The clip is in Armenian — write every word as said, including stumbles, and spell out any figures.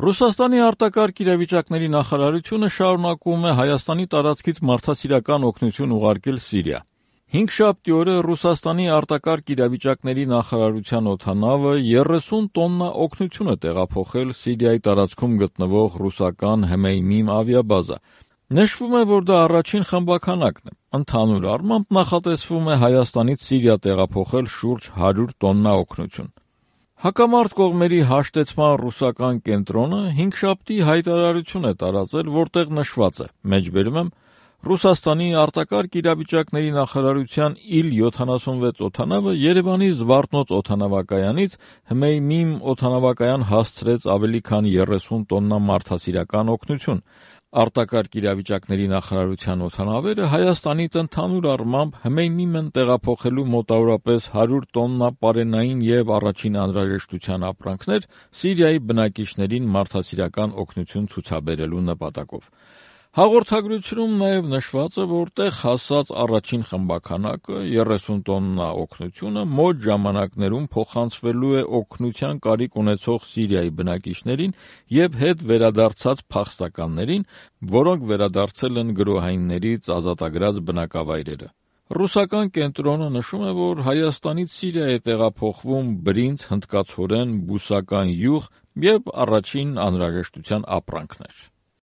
Ռուսաստանի արտակարգ իրավիճակների նախարարությունը շարունակում է Հայաստանի տարածքից մարդասիրական օգնություն ուղարկել Սիրիա։ Հինգշաբթի օրը Ռուսաստանի արտակարգ իրավիճակների նախարարության օդանավը երեսուն տոննա օգնություն է տեղափոխել Սիրիայի տարածքում գտնվող ռուսական Հմեյմիմ ավիաբազա։ Նշվում է, որ դա առաջին խմբաքանակն է։ Ընդհանուր առմամբ նախատեսվում է Հայաստանից Սիրիա տեղափոխել շուրջ հարյուր տոննա օգնություն։ Հակամարտ կողմերի հաշտեցման ռուսական կենտրոնը հինգշաբթի հայտարարություն է տարածել, որտեղ նշված է. մեջբերում եմ, Ռուսաստանի արտակարգ իրավիճակների նախարարության իլ յոթանասունվեց օդանավը Երևանի Զվարթնոց օդանավակայանից Հմեյմիմ օդանավակայան հասցրեց ավելի քան երեսուն տոննա մարդասիրական օգնություն։ Արտակարգ իրավիճակների նախարարության օդանավերը Հայաստանից ընդհանուր առմամբ Հմեյմիմ են տեղափոխելու մոտավորապես հարյուր տոննա պարենային և առաջին անհրաժեշտության ապրանքներ Սիրիայի բնակիչներին մարդասիրական օգնություն ցուցաբերելու նպատակով։ Հաղորդագրությունում նաև նշված է, որ տեղ հասած առաջին խմբաքանակը երեսուն տոննա օգնությունը մոտ ժամանակներում փոխանցվելու է օգնության կարիք ունեցող Սիրիայի բնակիչներին և հետ վերադարձած փախստականներին, որոնք վերադարձել են գրոհայիններից ազատագրած բնակավայրերը։ Ռուսական կենտրոնը նշում է, որ Հայաստանից Սիրիա է տեղափոխվում բրինձ, հնդկացորեն, բուսական յուղ և առաջին անհրաժեշտության ապրանքներ։